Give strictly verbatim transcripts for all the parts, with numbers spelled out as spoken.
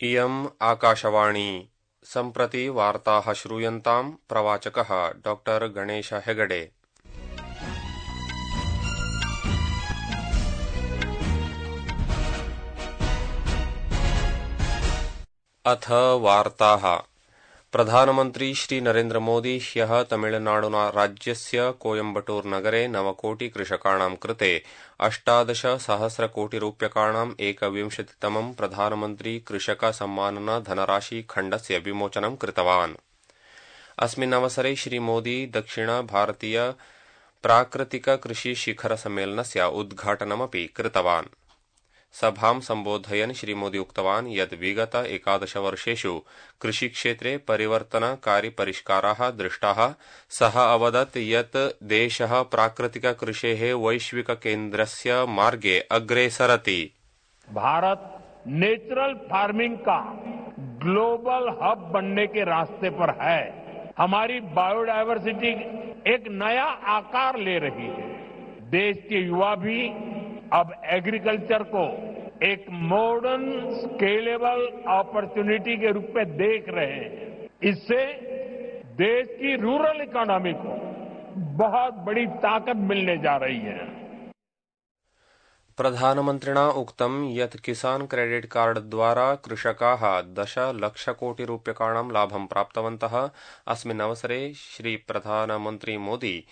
इयम् आकाशवाणी सम्प्रति वार्ताः श्रूयन्ताम् प्रवाचकः डॉक्टर गणेश हेगडे। अथ वार्ताः। प्रधानमन्त्री श्री नरेन्द्र मोदी ह्यः तमिळनाडु राज्यस्य कोयम्बटूर नगरे नवकोटिकृषकाणां कृते अष्टादश सहस्रकोटिरूप्यकाणाम् एकविंशतितमं प्रधानमन्त्री कृषक सम्मान धनराशि खण्डस्य विमोचनं कृतवान्। अस्मिन् अवसरे श्री मोदी दक्षिण भारतीय प्राकृतिक कृषि शिखर सम्मेलनस्य उद्घाटनमपि कृतवान्। सभां सम्बोधयन् श्री मोदी उक्तवान् यत् विगत एकादश वर्षेषु कृषिक्षेत्रे परिवर्तनकारी परिष्काराः दृष्टाः। सः अवदत् यत् देशः प्राकृतिक कृषेः वैश्विक केन्द्रस्य मार्गे अग्रे सरति। भारत नेचुरल फार्मिंग का ग्लोबल हब बनने के रास्ते पर है। हमारी बायोडायवर्सिटी एक नया आकार ले रही है। देश के युवा भी अब एग्रीकल्चर को एक मॉडर्न स्केलेबल अपॉर्चुनिटी के रूप में देख रहे हैं। इससे देश की रूरल इकोनॉमी को बहुत बड़ी ताकत मिलने जा रही है। प्रधानमन्त्रिणा उक्तं यत् किसान क्रेडिट कार्ड द्वारा कृषकाः दश लक्षकोटिरूप्यकाणां लाभं प्राप्तवन्तः। अस्मिन् अवसरे श्री प्रधानमन्त्री मोदी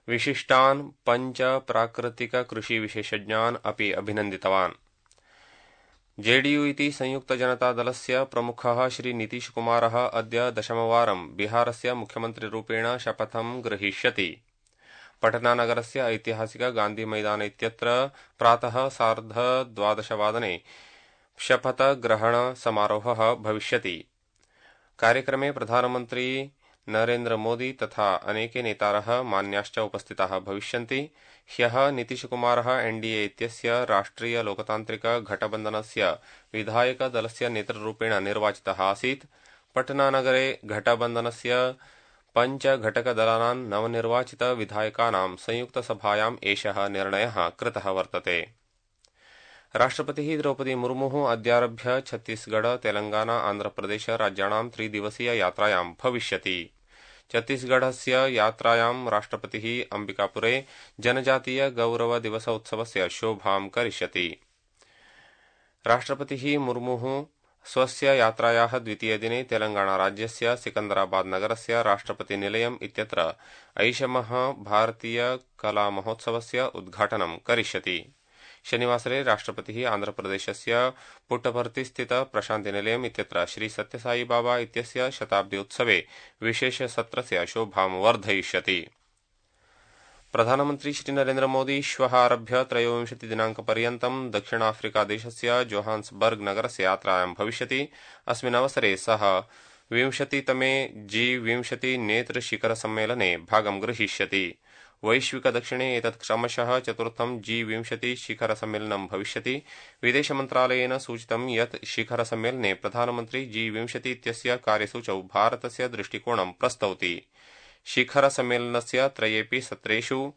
विशिष्टान् पञ्च प्राकृतिक कृषि विशेषज्ञान् अपि अभिनन्दितवान्। जेडीयू इति संयुक्त जनता दलस्य प्रमुखः श्री नीतीश कुमारः अद्य दशमवारं बिहारस्य मुख्यमन्त्रिरूपेण शपथं ग्रहीष्यति। पटनानगरस्य ऐतिहासिक गान्धी मैदान इत्यत्र प्रातः सार्धद्वादशवादने शपथग्रहण समारोहः भविष्यति। कार्यक्रमे प्रधानमन्त्री नरेन्द्र मोदी तथा अनेके नेतारः मान्याश्च उपस्थिताः भविष्यन्ति। ह्यः नीतीशकुमारः एनडीए इत्यस्य राष्ट्रिय लोकतान्त्रिक घटबन्धनस्य विधायक दलस्य नेतृरूपेण निर्वाचितः आसीत्। पटनानगरे घटबन्धनस्य पञ्च घटकदलानां नवनिर्वाचित विधायकानां संयुक्तसभायाम् एषः निर्णयः कृतः वर्तते। राष्ट्रपतिः द्रौपदी मुर्मुः अद्यारभ्य छत्तीसगढ़ तेलंगाना आन्ध्रप्रदेश राज्याणां त्रिदिवसीय यात्रायां भविष्यति। छत्तीसगढ़स्य यात्रायां राष्ट्रपतिः अंबिकापुरे जनजातीय गौरव दिवस उत्सवस्य शोभां करिष्यति। राष्ट्रपतिः मुर्मुः स्वस्य यात्रायाः द्वितीयदिने तेलंगाना राज्यस्य सिकंदराबाद नगरस्य राष्ट्रपतिनिलयम् इत्यत्र ऐषमः भारतीय कला महोत्सवस्य उद्घाटनं करिष्यति। शनिवासरे राष्ट्रपतिः आन्ध्रप्रदेशस्य पुट्टपर्तिस्थित प्रशान्तिनिलयम् इत्यत्र श्री सत्यसाई बाबा इत्यस्य शताब्दी उत्सवे विशेषसत्रस्य शोभां वर्धयिष्यति। प्रधानमन्त्री श्री नरेन्द्र मोदी श्वः आरभ्य त्रयोविंशति दिनाङ्कपर्यन्तं दक्षिणाफ्रिकादेशस्य जोहान्सबर्ग नगरस्य यात्रायां भविष्यति। अस्मिन् अवसरे सः विंशतितमे जी विंशति नेत्र शिखर सम्मेलने भागं गृहीष्यति। वैश्विक दक्षिणे एतत् क्रमशः चतुर्थं जी विंशति शिखर सम्मेलनं भविष्यति। विदेशमन्त्रालयेन सूचितं यत् शिखर सम्मेलने प्रधानमन्त्री जी विंशति इत्यस्य कार्यसूचौ भारतस्य दृष्टिकोणं प्रस्तौति। शिखर सम्मेलनस्य त्रयेऽपि सत्रेषु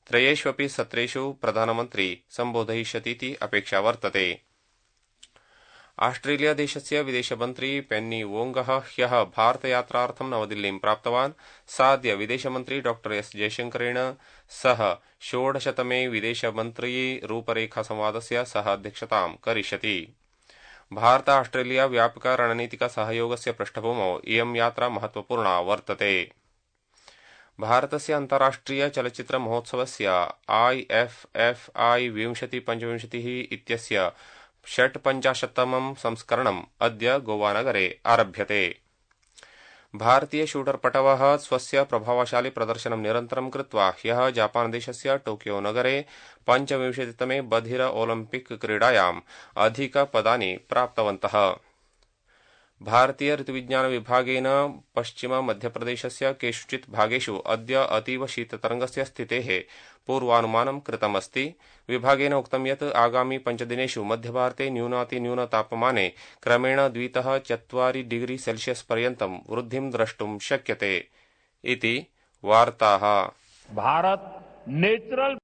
त्रयेष्वपि सत्रेषु प्रधानमन्त्री सम्बोधयिष्यतीति अपेक्षा वर्तते। आस्ट्रेलिया देशस्य विदेशमन्त्री पेन्नी वोंगः ह्यः भारतयात्रार्थं नवदिल्लीं प्राप्तवान्। साद्य विदेशमन्त्री डॉक्टर एस जयशंकरेण सह षोडशतमे विदेशमन्त्री रूपरेखासंवादस्य सह अध्यक्षतां करिष्यति। भारत आस्ट्रेलिया व्यापक रणनीतिक सहयोगस्य पृष्ठभूमौ इयं यात्रा महत्वपूर्णा वर्तते। भारतस्य अन्ताराष्ट्रिय चलच्चित्र महोत्सवस्य आई एफ एफ आई विंशति पंचविंशतिः इत्यस्य षट्पञ्चाशत्तमं संस्करणम् अद्य गोवानगरे आरभ्यते। भारतीय शूटर पटवः स्वस्य प्रभावशाली प्रदर्शनं निरन्तरं कृत्वा ह्यः जापानदेशस्य टोकियो नगरे पञ्चविंशतितमे बधिर ओलिम्पिक क्रीडायाम् अधिकपदानि प्राप्तवन्तः। भारतीय ऋतुविज्ञान विभागेन पश्चिम मध्यप्रदेशस्य केषुचित् भागेषु अद्य अतीव शीततरङ्गस्य स्थितेः पूर्वानुमानं कृतमस्ति। विभागेन उक्तं यत् आगामि पञ्चदिनेषु मध्यभारते न्यूनातिन्यूनतापमाने क्रमेण द्वितः चत्वारि डिग्री सेल्सियस् पर्यन्तं वृद्धिं द्रष्टुं शक्यते इति वार्ताः। भारत नेचुरल